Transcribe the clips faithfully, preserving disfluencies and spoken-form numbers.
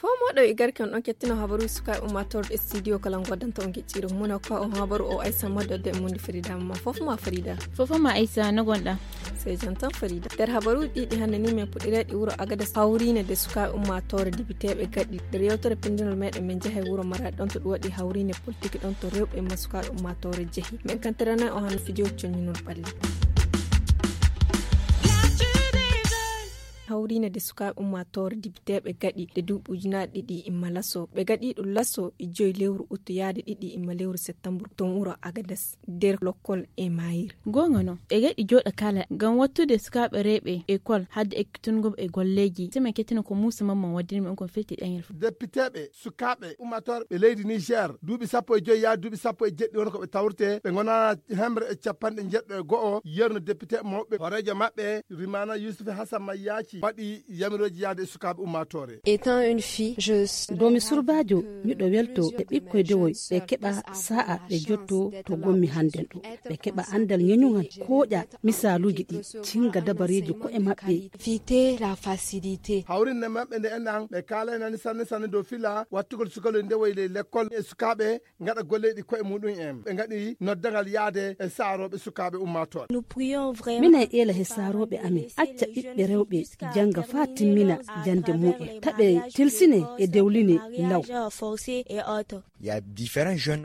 Fow moɗo e garke on ɗon kettino habaru sukaaɓe ummatorɗe studio kala goddanta on gicciro muna ko on habaru o aysa maddo de mundi farida ma fof ma farida. Fof ma aysa no gonɗa? Sey jam tan farida. Nder habaruuji ɗiɗi hannde ni min puɗɗireɗi wuro agades hawriinde de sukaaɓe ummaatoore dibiteeɓe gaɗi nder yewtere pinndinol meɗen min njaha e wuro maraɗi ɗon to ɗum waɗi hawriinde politique ɗon to rewɓe ma sukaaɓe ummaatoore jehi min kantirana o hano fijo coñinol ɓalli. Hawriinde de sukaaɓe ummaatoore dibiteeɓe gaɗi de duuɓi ujunaaji ɗiɗi imma laso ɓe gaɗi ɗum laso e joyi lewru uttu yaade ɗiɗi imma lewru septembre ton wuro agades nder lokkol e mayir. Goonga non e gaɗi jooɗa kala ngam wattude sukaaɓe rewɓe ekol hadde ekkitungo e golleeji sema kettino ko muusa mamman waddini on kon firti ɗeŋel fof. Depiteeɓe sukaaɓe ummatorɓe leydi niger duuɓi sappo e joyi yaa duuɓi sappo e jeɗɗi woni ko ɓe tawrete ɓe ngona hemre e capanɗe jeɗɗo e go'o yerno depite mawɓe hooreejo maɓɓe rimana yusuf hasan mayyaci waɗi yamirooji yaade e sukaaɓe ummatore. Étant une fille, je domi surbaajo miɗo welto e ɓikkoy dewoy ɓe keɓa sa'a ɓe jotto to gommi hannden ɗo ɓe keɓa anndal ñeñuŋal kooƴa misaaluuji ɗi cinga dabareeji ko'e maɓɓe. Éviter la facilité. Hawrinde maɓɓe nde enɗan ɓe kaalaynani sanne sanne dow fila wattugol sukaloy ndewoy ley lekkol e sukaaɓe ngaɗa golleeɗi ko'e muɗum en ɓe ngaɗi noddagal yaade e saarooɓe sukaaɓe ummaatooɓe. Minen eela he saarooɓe amen acca ɓiɓɓe rewɓe jannga faa timmina jannde mumen taɓe tilsine e dewline law.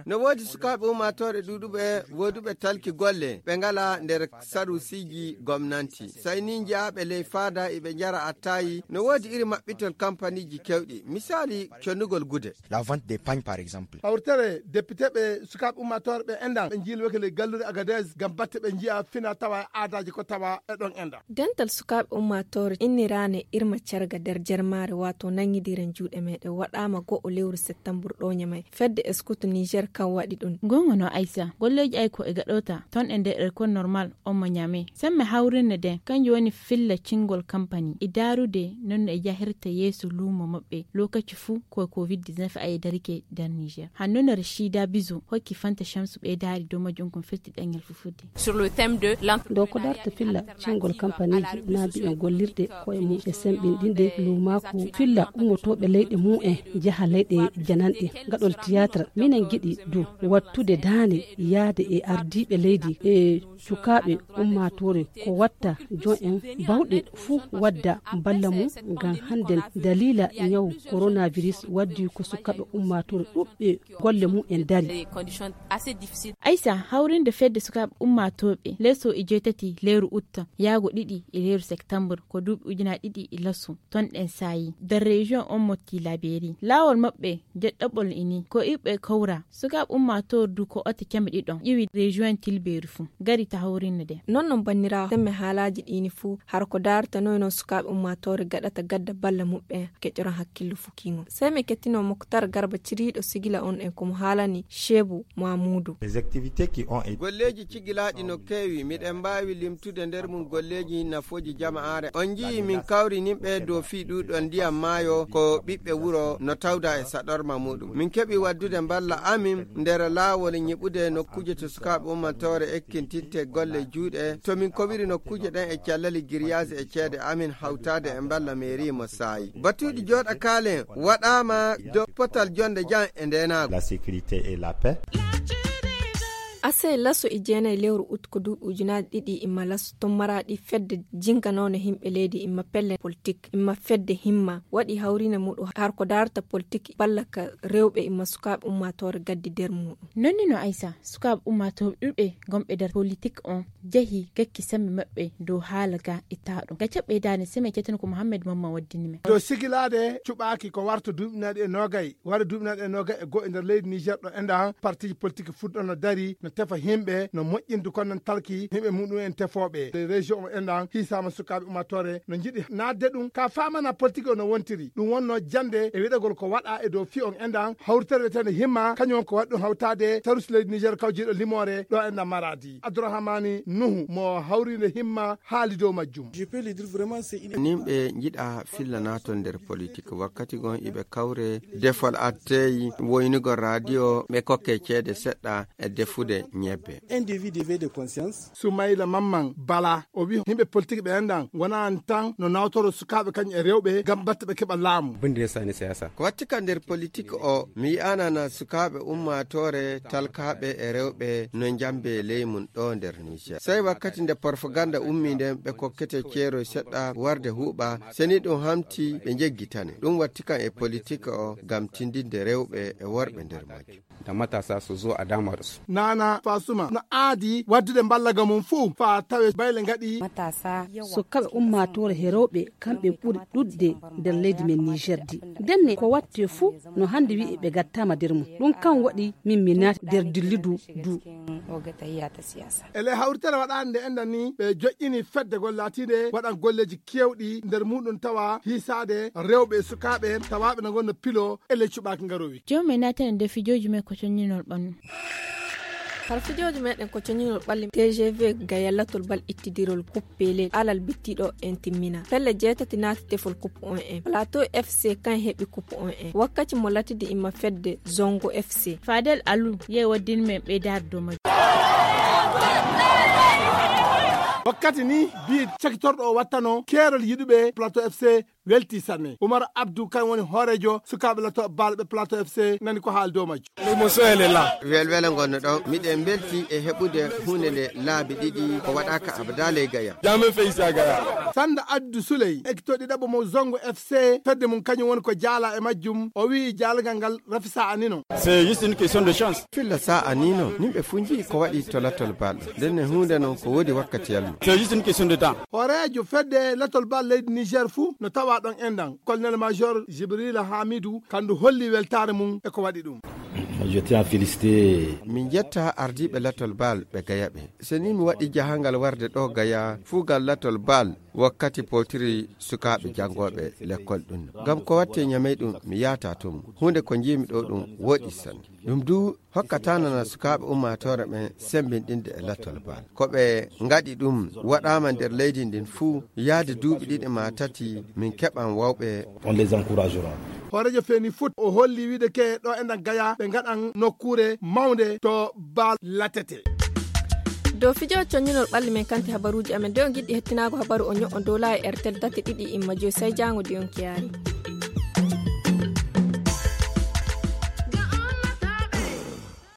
No woodi sukaaɓe ummaatooɓe ɗuuɗuɓe wooduɓe talki golle ɓe ngala nder sarusiiji gomnanti. Sey ni njiyaaɓe ley faada iɓe njara attayi no woodi iri maɓɓitol kampaniiji kewɗi misaali connugol gude. La vente des pagnes par exemple. Hawritere depiteeɓe sukaaɓe ummaatooɓe ɓe enɗan ɓe njiilweke ley galluure agades ngam batte ɓe njiya fina tawa e aadaaji ko tawa e ɗon enɗan. Dental sukaaɓe ummaatoore inniraane irma carga nder jarmaare waato nangidiren juuɗe meɗen waɗaama go'o lewru septembre ɗo ñamay fedde eskutu niger kan waɗi ɗum. Goonga no aysa golleeji ay ko e gaɗota ton e nder ekol normal on mo ñaame semme hawrinde nden kanjum woni filla cingol kampani e daarude non no e jahirta yeeso luumo maɓɓe lokaci fuu ko covid dix-neuf ay darike nder niger hanno no rachida biso hokki fanta shamsu ɓeydaari dow majjum kon firti ɗengal fufudde. Sur le thème de l'entre- Dow ko darta filla cingol kampaniiji naa mbiyen gollirde koye mum e semɓinɗinde luumaaku filla ummotooɓe leyɗe mum en njaha leyɗe jananɗe ngaɗol tiyatra minen ngiɗi du wattude daande yaade e ardiiɓe leydi e sukaaɓe ummaatoore ko watta jon en bawɗe fuu wadda balla mum ngam hannden daliila ñaw coronavirus waddi ko sukaaɓe ummaatoore ɗuɓɓe golle mum en dari. Aysa hawrinde fedde sukaaɓe ummaatooɓe leso e jeetati lewru utta yaago ɗiɗi e lewru septembre ko duuɓi ujunaaji ɗiɗi e laso ton ɗen saayi nder région on motti laberi laawol maɓɓe jeɗɗaɓol ini ko iɓɓe kawra sukaaɓe ummaatoore du ko ote keme ɗiɗon ƴiwi région tilbeeri fuu gari ta hawrinde de. Non non banniraawo temme haalaaji ɗiini fuu hara ko daartanoy non sukaaɓe ummaatoore gaɗata gadda balla muɓɓen keƴoran hakkillo fuu kiŋo sey mi kettino moktar garba ciriiɗo sigila on en ko mo haalani sheebu mamuudu. Golleeji cigilaaɗi no keewi miɗen mbaawi limtude nder mum golleeji nafooji jama'aare on njiyi min kawri nimɓe dow fii ɗuuɗon ndiyam maayo ko ɓiɓɓe wuro no tawda e saɗorma muɗum min keɓi waddude mballa amin nder laawol ñiɓude nokkuuje to sukaaɓe ummantoore ekkintinte golle juuɗe to min kowiri nokkuuje ɗen e callali giryaasi e ceede amin hawtaade e mballa meeri mo saayi batuuji jooɗa kaalen waɗaama dow potal jonde jam e ndeenaagu. La sécurité et la paix. Ase laso e jeenayi lewru ut ko duuɓi ujunaaji ɗiɗi imma laso ton maraɗi fedde jinganoone himɓe leydi imma pelle politik imma fedde himma waɗi hawriine muɗum har ko daarata politik ballaka rewɓe imma sukaaɓe ummaatoore gaddi nder muɗum. Nonni no aysa sukaaɓe ummaatooɓe ɗuuɗɓe gonɓe nder politik on jehi gakki sembe maɓɓe dow haala ga ittaaɗo ga caɓɓe daane seme cetano ko mohammed mamma waddini men. Dow sigilaade cuɓaaki ko warta duuɓinaaɗi e noogay wara duuɓinaaɗi e noogay e goo e nder leydi niger ɗo enɗan partiiji politik fuɗɗono dari no. tefa himɓe no moƴƴinde konnon talki himɓe muɗum en tefooɓe. Région o enɗan hiisaama sukaaɓe ummaatoore no njiɗi naatde ɗum ka faamana politique o no wontiri. Ɗum wonno jannde e wiɗagol ko waɗa e dow fi on enɗan hawritere wiyetende himma, kañum on ko waɗi ɗum hawtaade tarus leydi Niger kawjiiɗo limoore ɗo enɗan Maradi. Abdourahmani Nuhu mo hawrinde himma haali dow majjum. Nimɓe njiɗa filla naatol nder politik wakkati gon iɓe kawre defol atteyi woynugol radio ɓe kokke ceede seɗɗa e defude ñebbe. Sumayla Mamman Bala o wi himɓe politik ɓe enɗan wonani tan no nawtoro sukaaɓe kañum e rewɓe ngam batte ɓe keɓa laamu. Ko watti kan nder politik o mi yi'anana sukaaɓe ummaatoore talkaaɓe e rewɓe no njambe ley mum ɗo nder Niger. Sey wakkati nde porfoganda ummi nden ɓe kokkete ceeroy seɗɗa warde huuɓa, seni ɗum hamti ɓe njeggitane. Ɗum watti kan e politik o ngam tindinde rewɓe e worɓe nder majjum. Da matasa su zo a dama da su. Nana Fasuma no aadi waddude mballaga mum fuu faa tawe bayle ngaɗi. Sukaaɓe ummaatoore he rewɓe kamɓe ɓuri ɗuɗde nder leydi men Niger di. Ndenne ko watte fuu no hannde wi'i ɓe gattaama nder mum. Ɗum kan waɗi min mi naati nder dillidu du. Ele hawritere waɗaande nde enɗan ni ɓe joƴƴini fedde gol laatiinde waɗan golleeji keewɗi nder muɗum tawa hiisaade rewɓe e sukaaɓe tawaaɓe no ngonno pilo ele cuɓaaki ngarowi. Joom e naatene nde fijooji men ko coññinol ɓannu. Har fijooji meɗen ko coñinol ɓalli T G V gaya latol bal ittidirol kuppe leydi alal bittiɗo en timmina. Pelle jeetati naati tefol kuppe on en. Plateau F C kan heɓi kuppe on en. Wakkati mo latidi imma fedde Zongo F C. Fadel Alu yehi waddin men ɓeydaade dow majjum. Wakkati ni biid cakitorɗo o wattano keerol yiɗuɓe Plateau F C welti sanne. Umar Abdou kan woni hooreejo sukaaɓe lato baalɓe Plateau F C nani ko haal dow majjum. Welwele ngonno ɗon miɗen mbelti e heɓude huunde nde laabi ɗiɗi ko waɗaaka abada ley gaya. Sanda Addu Suley ekitoɗi ɗaɓɓo mo Zongo F C fedde mum kañum woni ko jaala e majjum o wi'i jaalgal ngal rafi sa anino. C'est juste une question de chance. Filla sa anino nimɓe fuu nji'i ko waɗi to lattol baalɗo ndenne huunde non ko woodi wakkati yalmu. C'est juste une question de temps. Hooreejo fedde lattol baal leydi Niger fuu no tawa ɗon enɗan. Colonel Major Jibrila Hamidu kandu holli weltaare mum e ko waɗi ɗum. Je tiens à féliciter. Min jetta ardiiɓe latol baal ɓe gayaɓe. So ni mi waɗi jahangal warde ɗo gaya fuugal latol baal wakkati potiri sukaaɓe janngooɓe lekkol ɗum. Ngam ko watte ñamey ɗum mi yaata tun. Huunde ko njiimi ɗo ɗum woɗi sanne. Ɗum du hokkata nana sukaaɓe ummaatoore ɓen semmbinɗinde e lattol baal. Ko ɓe ngaɗi ɗum waɗaama nder leydi ndin fuu yaade duuɓi ɗiɗi maa tati min keɓan wawɓe. On les encouragera. Hooreejo feeni fut o holli wiide ke ɗo enɗan gaya ɓe ngaɗan nokkuure mawnde to baal latete. Dow fijo coññinol ɓalli men kanti habaruuji amen de on giɗɗi hettinaago habaru o ño'o dow laayi ertel dati ɗiɗi imma joyi say jaango di on kiyaari.